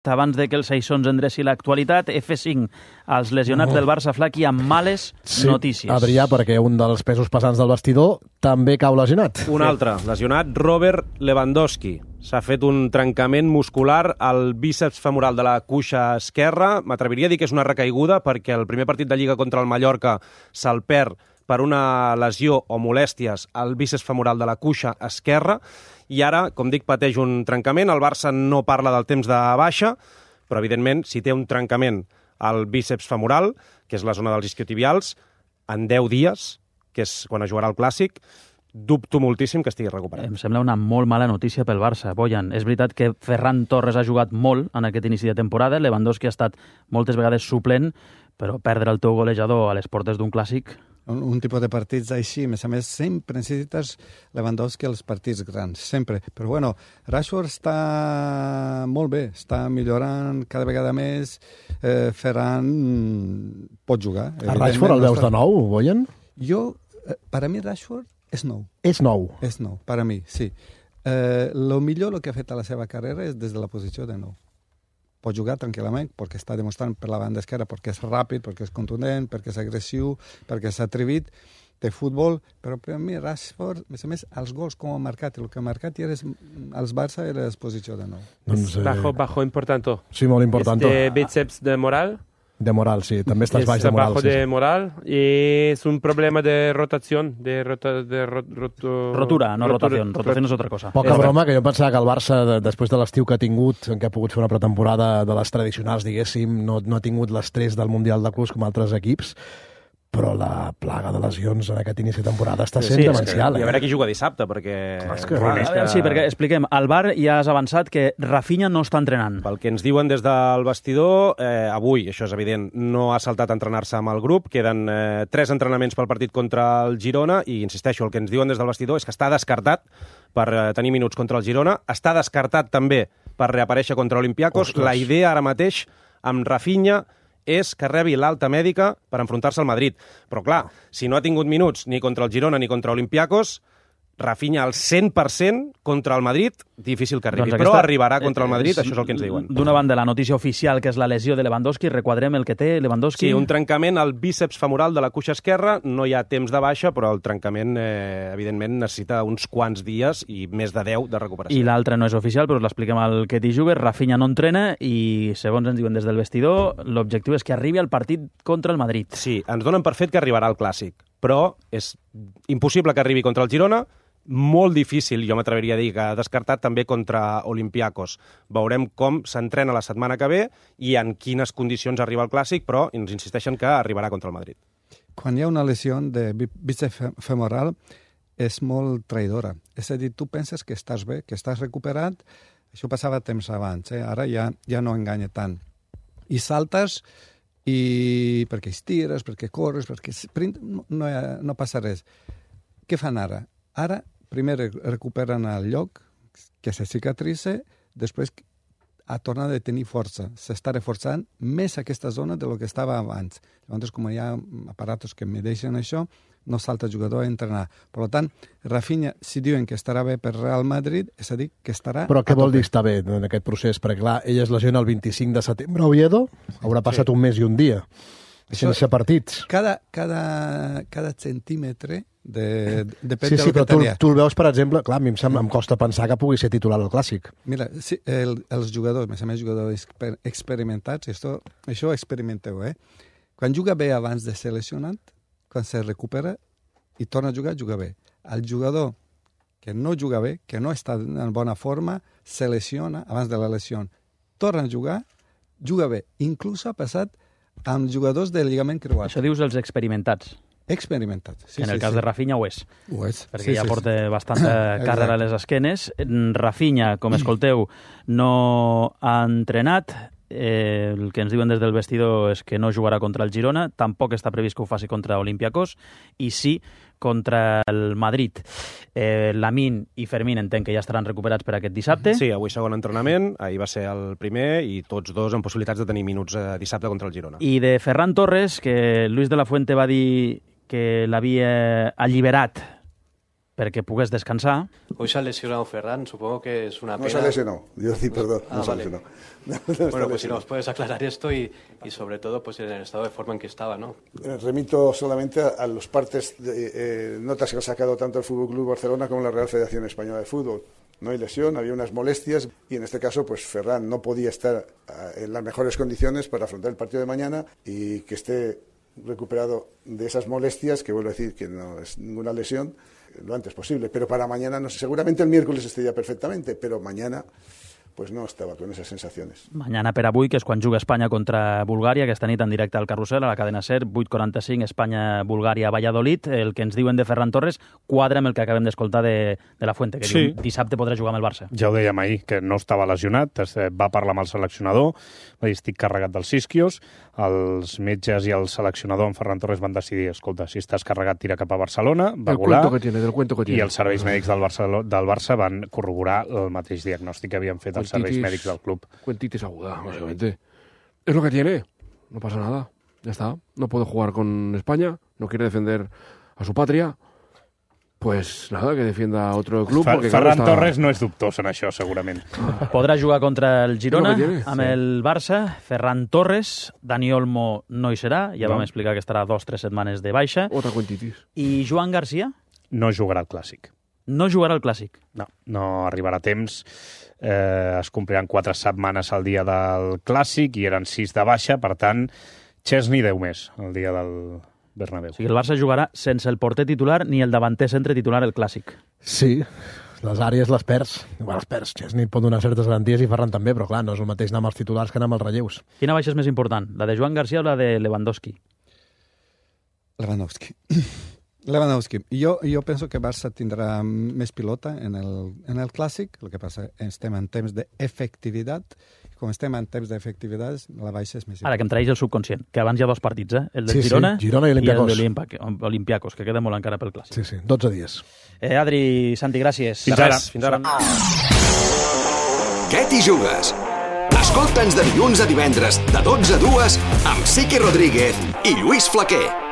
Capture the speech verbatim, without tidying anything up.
abans de que el Seixons endreci l'actualitat. F cinc, els lesionats oh. del Barça Flaqui amb males sí, notícies. Adrià, perquè un dels pesos pesants del vestidor també cau lesionat. Un altre, lesionat, Robert Lewandowski. S'ha fet un trencament muscular al bíceps femoral de la cuixa esquerra. M'atreviria a dir que és una recaiguda perquè el primer partit de Lliga contra el Mallorca se'l perd per una lesió o molèsties al bíceps femoral de la cuixa esquerra, i ara, com dic, pateix un trencament. El Barça no parla del temps de baixa, però, evidentment, si té un trencament al bíceps femoral, que és la zona dels isquiotibials, en deu dies, que és quan es jugarà el Clàssic, dubto moltíssim que estigui recuperat. Em sembla una molt mala notícia pel Barça, Bojan. És veritat que Ferran Torres ha jugat molt en aquest inici de temporada, Lewandowski ha estat moltes vegades suplent, però perdre el teu golejador a les portes d'un Clàssic... Un, un tipus de partits així, a més a més, sempre necessites Lewandowski als partits grans, sempre. Però bueno, Rashford està molt bé, està millorant cada vegada més, eh, Ferran pot jugar. A Rashford el veus de nou, Bojan? Jo, eh, per a mi Rashford és nou. És nou? És nou, per a mi, sí. Eh, lo millor el que ha fet a la seva carrera és des de la posició de nou. Pot jugar tranquil·lament, perquè està demostrant per la banda esquerra, perquè és ràpid, perquè és contundent, perquè és agressiu, perquè és atrevit, de futbol, però per mi Rashford, a més a més, els gols com ha marcat, el que ha marcat era als Barça era l'exposició de nou. Doncs, eh... Bajo, bajo importante. Sí, molt important. Este bíceps de moral. De moral, sí. També estàs baix de moral. Bajo sí, de sí. moral y es un problema de rotación, de, rota, de ro, roto, rotura, no rotura, rotación. Rotación és otra cosa. Poca broma, que jo pensava que el Barça, de, després de l'estiu que ha tingut, en què ha pogut fer una pretemporada de les tradicionals, diguéssim, no, no ha tingut l'estrès del Mundial de Clubs com altres equips, però la plaga de lesions en aquest inici de temporada està sent sí, demencial. Eh? I a eh? veure qui juga dissabte, perquè... Clar, és que... Clar, és que... Sí, perquè expliquem, al bar ja has avançat que Rafinha no està entrenant. Pel que ens diuen des del vestidor, eh, avui, això és evident, no ha saltat a entrenar-se amb el grup, queden eh, tres entrenaments pel partit contra el Girona, i insisteixo, el que ens diuen des del vestidor és que està descartat per eh, tenir minuts contra el Girona, està descartat també per reaparèixer contra Olympiacos. Ostres. La idea ara mateix amb Rafinha és que rebi l'alta mèdica per enfrontar-se al Madrid. Però clar, si no ha tingut minuts ni contra el Girona ni contra Olympiacos, Rafinha al cent per cent contra el Madrid, difícil que arribi. Doncs aquesta... Però aquesta... arribarà contra el Madrid, eh, això és el que ens diuen. D'una banda, la notícia oficial, que és la lesió de Lewandowski, requadrem el que té Lewandowski. Sí, un trencament al bíceps femoral de la cuixa esquerra, no hi ha temps de baixa, però el trencament, eh, evidentment, necessita uns quants dies i més de deu de recuperació. I l'altre no és oficial, però l'expliquem al Ketty Juber. Rafinha no entrena i, segons ens diuen des del vestidor, l'objectiu és que arribi al partit contra el Madrid. Sí, ens donen per fet que arribarà al Clàssic, però és impossible que arribi contra el Girona, molt difícil, jo m'atreviria a dir, que ha descartat també contra Olympiacos. Veurem com s'entrena la setmana que ve i en quines condicions arriba el Clàssic, però ens insisteixen que arribarà contra el Madrid. Quan hi ha una lesió de bíceps femoral és molt traïdora. És a dir, tu penses que estàs bé, que estàs recuperat, això passava temps abans, eh? Ara ja, ja no enganya tant. I saltes i perquè estires, perquè corres, perquè no, no, no passa res. Què fan ara? Ara, primer recuperen el lloc, que se cicatritza, després ha tornat a tenir força. S'està reforçant més aquesta zona de lo que estava abans. Llavors, com hi ha aparatos que medeixen això, no salta el jugador a entrenar. Per tant, Rafinha, si diuen que estarà bé per Real Madrid, és a dir, que estarà... Però què vol dir estar bé en aquest procés? Perquè, clar, ell es lesiona el vint-i-cinc de setembre a Oviedo, haurà passat sí. un mes i un dia, sense partits. Cada, cada, cada centímetre de, depèn sí, de sí, lo que però tu, tenia. tu el veus, per exemple, clar, a mi em, sembla, em costa pensar que pugui ser titular al Clàssic. Mira, sí, el, els jugadors, a més a més jugadors exper experimentats, això, això ho experimenteu, eh? Quan juga bé abans de ser lesionat, quan se recupera i torna a jugar, juga bé. El jugador que no juga bé, que no està en bona forma, se lesiona abans de la lesió. Torna a jugar, juga bé. Inclús ha passat amb jugadors del lligament creuat. Això dius els experimentats. Experimentats. Sí, en el sí, cas sí. de Rafinha ho és. Ho és. Perquè sí, ja sí, porta sí. bastanta càrrega a les esquenes. Rafinha, com escolteu, no ha entrenat. Eh, el que ens diuen des del vestidor és que no jugarà contra el Girona, tampoc està previst que ho faci contra Olympiacos, i sí contra el Madrid. Eh, Lamine i Fermín entenc que ja estaran recuperats per aquest dissabte. Sí, avui segon entrenament, ahir va ser el primer, i tots dos amb possibilitats de tenir minuts eh, dissabte contra el Girona. I de Ferran Torres, que Luis de la Fuente va dir que l'havia alliberat perquè pogués descansar. Hoy se ha lesionado Ferran, supongo que es una pena. No se ha lesionado, yo sí, perdón, Ah, no se ha vale. lesionado. No, no Bueno, está pues si lesionado. nos puedes aclarar esto y, y sobre todo pues en el estado de forma en que estaba, ¿no? Eh, Remito solamente a, a los partes de eh, notas que ha sacado tanto el Fútbol Club Barcelona como la Real Federación Española de Fútbol. No hay lesión, había unas molestias y en este caso pues Ferran no podía estar ah, en las mejores condiciones para afrontar el partido de mañana y que esté recuperado de esas molestias, que vuelvo a decir que no es ninguna lesión, lo antes posible. Pero para mañana, no sé, seguramente el miércoles estaría perfectamente, pero mañana pues no estaba con esas sensaciones. Mañana per avui, que és quan juga Espanya contra Bulgària, aquesta nit en directe al Carrusel, a la cadena SER, vuit quaranta-cinc, Espanya-Bulgària-Valladolid. El que ens diuen de Ferran Torres quadra amb el que acabem d'escoltar de, de la Fuente, que Sí. diu dissabte podrà jugar amb el Barça. Ja ho dèiem ahir, que no estava lesionat, es va parlar amb el seleccionador, va dir, estic carregat dels isquios, els metges i el seleccionador, en Ferran Torres, van decidir, escolta, si estàs carregat, tira cap a Barcelona, va Del volar, cuento que tiene, del cuento que tiene. i els serveis mèdics del Barça, del Barça van corroborar el mateix diagnòstic que havien fet els serveis Cuentitis- mèdics del club. Cuentitis aguda, básicamente. Es lo que tiene. No pasa nada. Ya está. No puede jugar con España. No quiere defender a su patria. Pues nada, que defienda a otro club. Fer- porque, claro, Ferran está- Torres no és dubtós en això, segurament. Podrà jugar contra el Girona És el que tiene, amb sí. el Barça. Ferran Torres, Dani Olmo no hi serà, ja No. vam explicar que estarà dos o tres setmanes de baixa. Otra cuentitis. I Joan Garcia No jugarà al Clàssic. no jugarà al Clàssic. No, no arribarà a temps. Eh, es compliran quatre setmanes al dia del Clàssic i eren sis de baixa, per tant, Chesney deu més el dia del Bernabéu. O sigui, el Barça jugarà sense el porter titular ni el davanter centre titular el Clàssic. Sí, les àrees les perds. Igual les perds. Chesney pot donar certes garanties i Ferran també, però clar, no és el mateix anar amb els titulars que anar amb els relleus. Quina baixa és més important, la de Joan Garcia o la de Lewandowski? Lewandowski. Lewandowski. Jo, jo penso que Barça tindrà més pilota en el, en el Clàssic, el que passa estem en temps d'efectivitat, i com estem en temps d'efectivitat, la baixa és més Ara, que em traeix el subconscient, que abans hi ha dos partits, eh? el de Sí, sí, Girona, Girona i Olympiacos. el de Olympiacos, que queda molt encara pel Clàssic. Sí, sí, dotze dies. Eh, Adri, Santi, gràcies. Fins ara. Fins ara. Què t'hi jugues? Escolta'ns de dilluns a divendres, de dotze a dues, amb Siqui Rodríguez i Lluís Flaquer.